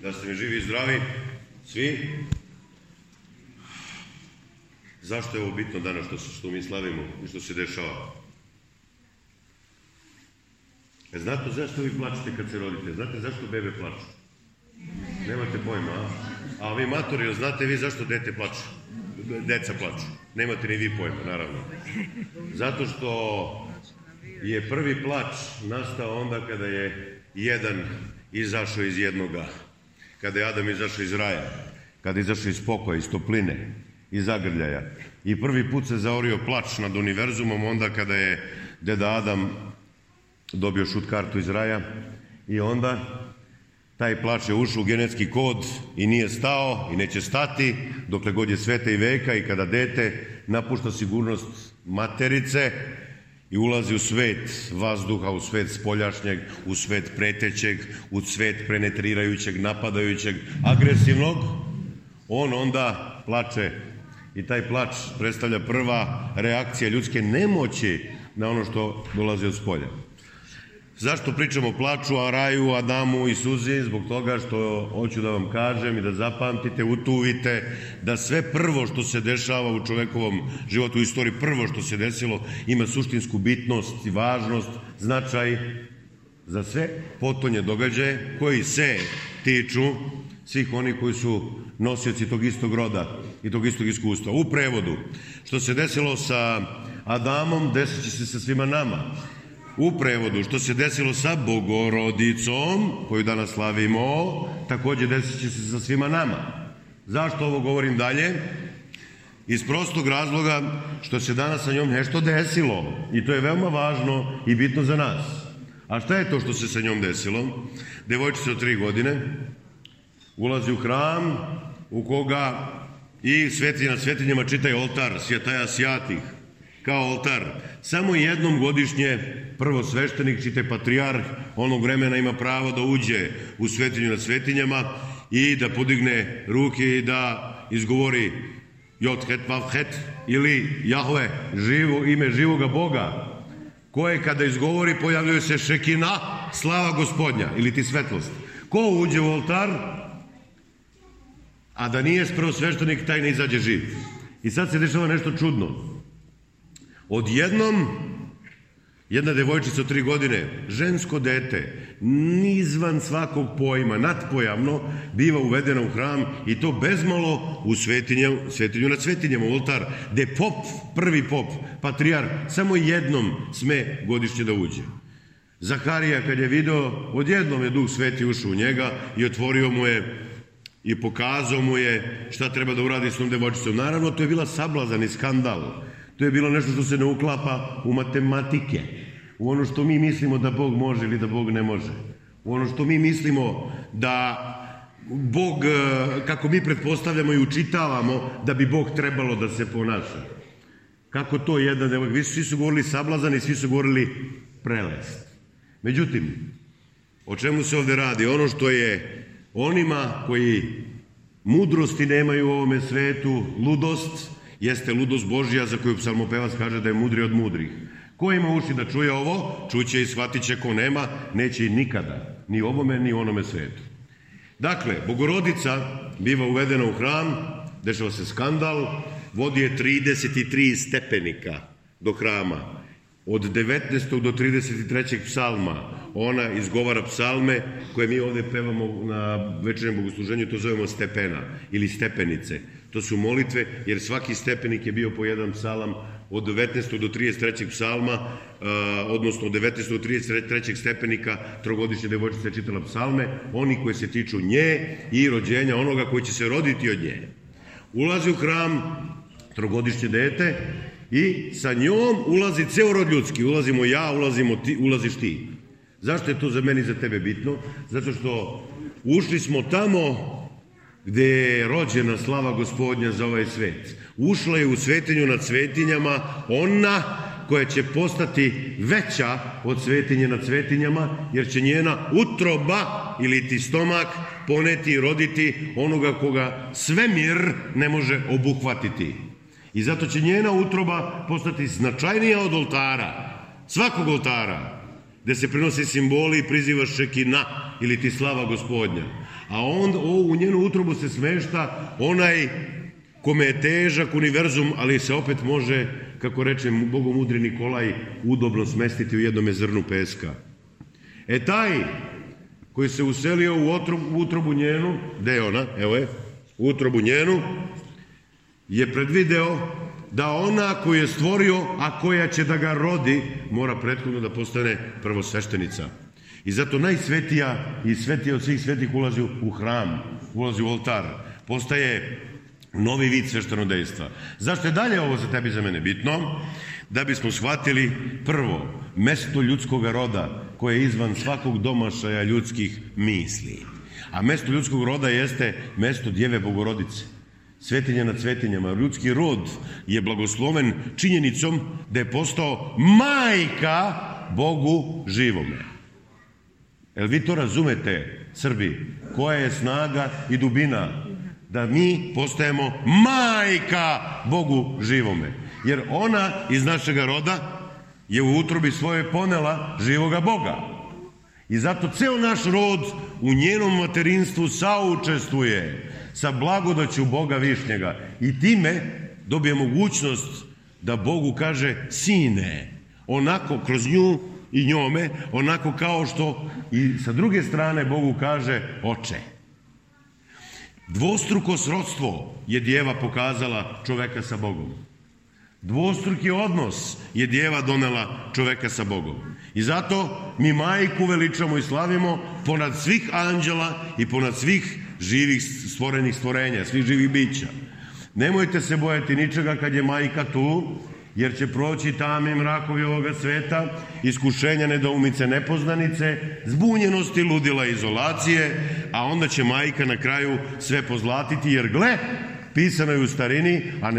Da ste mi živi i zdravi, svi. Zašto je ovo bitno danas što mi slavimo i što se dešava? Znate zašto vi plačete kad se rodite? Znate zašto bebe plaču? Nemate pojma, a? A vi matori, znate vi zašto dete plače? Deca plaču. Nemate ni vi pojma, naravno. Zato što je prvi plač nastao onda kada je jedan izašao iz jednoga. Kada je Adam izašao iz raja. Kada je izašao iz pokoja, iz topline, iz zagrljaja. I prvi put se zaorio plač nad univerzumom onda kada je deda Adam dobio šut kartu iz raja i onda taj plač je ušao u genetski kod i nije stao i neće stati dokle god je sveta i veka i kada dete napušta sigurnost materice i ulazi u svet vazduha, u svet spoljašnjeg, u svet pretećeg, u svet penetrirajućeg, napadajućeg, agresivnog, on onda plače i taj plač predstavlja prva reakcija ljudske nemoći na ono što dolazi od spolja. Zašto pričamo o plaču, o raju, Adamu i suzi? Zbog toga što hoću da vam kažem i da zapamtite, utuvite da sve prvo što se dešava u čovekovom životu, u istoriji, prvo što se desilo ima suštinsku bitnost i važnost, značaj za sve potonje događaje koji se tiču svih onih koji su nosioci tog istog roda i tog istog iskustva. U prevodu, što se desilo sa Adamom, desit će se sa svima nama. U prevodu, što se desilo sa Bogorodicom, koju danas slavimo, također desit će se sa svima nama. Zašto ovo govorim dalje? Iz prostog razloga što se danas sa njom nešto desilo i to je veoma važno i bitno za nas. A šta je to što se sa njom desilo? Devojčica od 3 godine ulazi u hram u koga i svetinja nad svetinjama čita oltar, svjetaja svjatih, kao oltar. Samo jednom godišnje prvosveštenik, čite patrijarh, onog vremena ima pravo da uđe u svetinju nad svetinjama i da podigne ruke i da izgovori Jothet Vavhet ili Jahve, ime živoga Boga, koje kada izgovori pojavljuje se šekina, slava gospodnja ili ti svetlost. Ko uđe u oltar, a da nije prvosveštenik, taj ne izađe živ. I sad se dešava nešto čudno. Odjednom, jedna devojčica od 3 godine, žensko dete, izvan svakog pojma, nadpojavno, biva uvedena u hram i to bezmalo u svetinju nad svetinjama, u oltar, gde pop, prvi pop, patrijarh, samo jednom sme godišnje da uđe. Zaharija, kad je video, odjednom je Duh Sveti ušao u njega i otvorio mu je i pokazao mu je šta treba da uradi s tom devojčicom. Naravno, to je bila sablazan i skandal. To je bilo nešto što se ne uklapa u matematike, u ono što mi mislimo da Bog može ili da Bog ne može, u ono što mi mislimo da Bog, kako mi pretpostavljamo i učitavamo, da bi Bog trebalo da se ponaša. Kako to jedan devojka? Svi su govorili sablazan i svi su govorili prelest. Međutim, o čemu se ovde radi? Ono što je onima koji mudrosti nemaju u ovome svetu, ludost, jeste ludost Božja za koju psalmopevac kaže da je mudri od mudrih. Ko ima uši da čuje ovo, čuće i shvatit će, ko nema, neće i nikada, ni ovome, ni onome svetu. Dakle, Bogorodica biva uvedena u hram, dešava se skandal, vodi je 33 stepenika do hrama. Od 19. do 33. psalma ona izgovara psalme koje mi ovde pevamo na večernjem bogosluženju, to zovemo stepena ili stepenice. To su molitve, jer svaki stepenik je bio po jedan psalam od 19. do 33. psalma, odnosno od 19. do 33. stepenika trogodišnje devojčice čitala psalme, oni koji se tiču nje i rođenja onoga koji će se roditi od nje. Ulazi u hram trogodišnje dete i sa njom ulazi ceo rod ljudski. Ulazimo ja, ulaziš ti. Zašto je to za meni i za tebe bitno? Zato što ušli smo tamo gde je rođena slava gospodnja za ovaj svet. Ušla je u svetinju nad svetinjama ona koja će postati veća od svetinje nad svetinjama, jer će njena utroba ili ti stomak poneti i roditi onoga koga svemir ne može obuhvatiti. I zato će njena utroba postati značajnija od oltara, svakog oltara, gde se prenose simboli i priziva šekina ili ti slava gospodnja. a u njenu utrobu se smešta onaj kome je težak univerzum, ali se opet može, kako reče bogomudri Nikolaj, udobno smestiti u jednome zrnu peska. Taj koji se uselio u utrobu njenu, gde je ona, evo je, u utrobu njenu, je predvideo da ona koju je stvorio, a koja će da ga rodi, mora prethodno da postane prvosveštenica. I zato najsvetija i svetija od svih svetih ulazi u hram, ulazi u oltar, postaje novi vid sveštenodejstva. Zašto je dalje ovo za tebi i za mene bitno? Da bismo shvatili prvo, mesto ljudskog roda koje je izvan svakog domašaja ljudskih misli. A mesto ljudskog roda jeste mesto Djeve Bogorodice. Svetinja nad svetinjama. Ljudski rod je blagosloven činjenicom da je postao majka Bogu živome. Jel vi to razumete, Srbi? Koja je snaga i dubina da mi postajemo majka Bogu živome? Jer ona iz našega roda je u utrobi svoje ponela živoga Boga. I zato ceo naš rod u njenom materinstvu saučestvuje sa blagodaću Boga Višnjega. I time dobije mogućnost da Bogu kaže sine, onako kroz nju i njome, onako kao što i sa druge strane Bogu kaže oče. Dvostruko srodstvo je Djeva pokazala čoveka sa Bogom. Dvostruki odnos je Djeva donela čoveka sa Bogom. I zato mi majku veličamo i slavimo ponad svih anđela i ponad svih živih stvorenih stvorenja, svih živih bića. Nemojte se bojati ničega kad je majka tu, jer će proći tami mrakovi ovoga sveta, iskušenja, nedoumice, nepoznanice, zbunjenosti, ludila, izolacije, a onda će majka na kraju sve pozlatiti, jer gle, pisano je u starini, a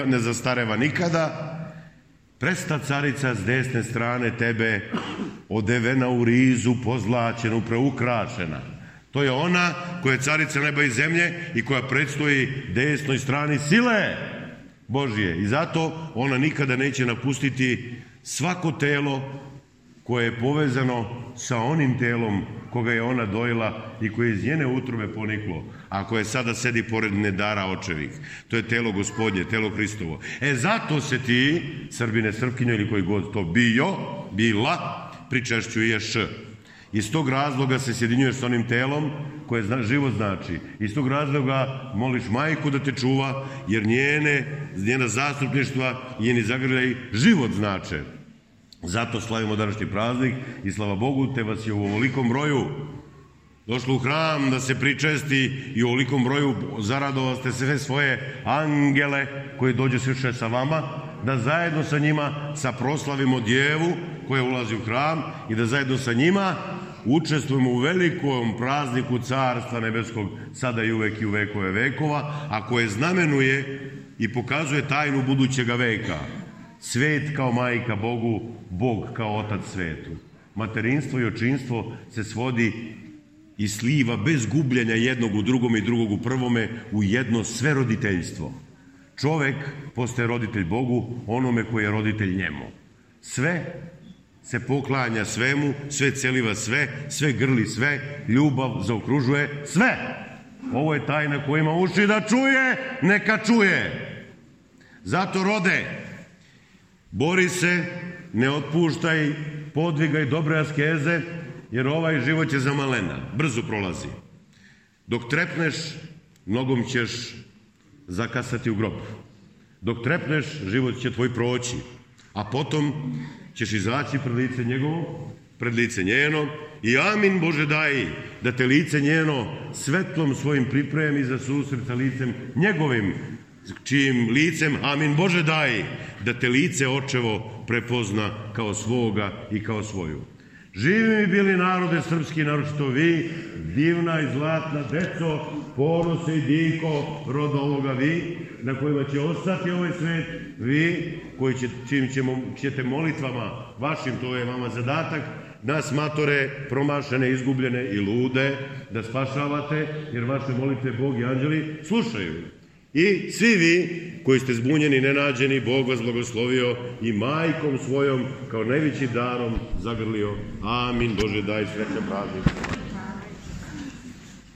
ne zastareva nikada, presta carica s desne strane tebe, odevena u rizu, pozlaćenu, preukrašena. To je ona koja je carica neba i zemlje i koja predstoji desnoj strani sile Božije. I zato ona nikada neće napustiti svako telo koje je povezano sa onim telom koga je ona dojela i koje je iz njene utrobe poniklo, a koje sada sedi pored nedara očevih. To je telo Gospodnje, telo Hristovo. Zato se ti, Srbine, Srpkinjo ili koji god to bila, pričešćuješ. Iz tog razloga se sjedinjuješ s onim telom koje život znači. Iz tog razloga moliš majku da te čuva, jer njena zastupništva i njeni zagrljaj život znače. Zato slavimo današnji praznik i slava Bogu te vas je u ovolikom broju došlo u hram da se pričesti i u ovolikom broju zaradovali ste sve svoje angele koji dođu sviše sa vama, da zajedno sa njima saproslavimo Djevu koja ulazi u hram i da zajedno sa njima učestvujemo u velikom prazniku Carstva nebeskog sada i uvek i u vekove vekova, a koje znamenuje i pokazuje tajnu budućega veka. Svet kao majka Bogu, Bog kao otac svetu. Materinstvo i očinstvo se svodi i sliva bez gubljenja jednog u drugome i drugog u prvome u jedno sve roditeljstvo. Čovek postaje roditelj Bogu, onome koji je roditelj njemu. Sve se poklanja svemu, sve celiva sve grli sve, ljubav zaokružuje sve. Ovo je tajna ko ima uši da čuje, neka čuje. Zato rode, bori se, ne otpuštaj, podvigaj dobre askeze, jer ovaj život će za malena, brzo prolazi. Dok trepneš, nogom ćeš zakasati u grob. Dok trepneš, život će tvoj proći, a potom ćeš izaći pred lice njegovo, pred lice njeno i amin Bože daj da te lice njeno svetlom svojim pripremi za susret sa licem njegovim, čijim licem, amin Bože daj, da te lice očevo prepozna kao svoga i kao svoju. Živi mi bili narode srpski, naročito vi, divna i zlatna deco, ponose i diko roda ovoga vi, na kojima će ostati ovaj svet, vi, čim ćete molitvama vašim, to je vama zadatak, nas matore promašene, izgubljene i lude, da spašavate, jer vaše molitve Bog i anđeli slušaju. I svi vi koji ste zbunjeni i nenađeni, Bog vas blagoslovio i majkom svojom kao najvećim darom zagrlio. Amin. Bože daj srećan praznik.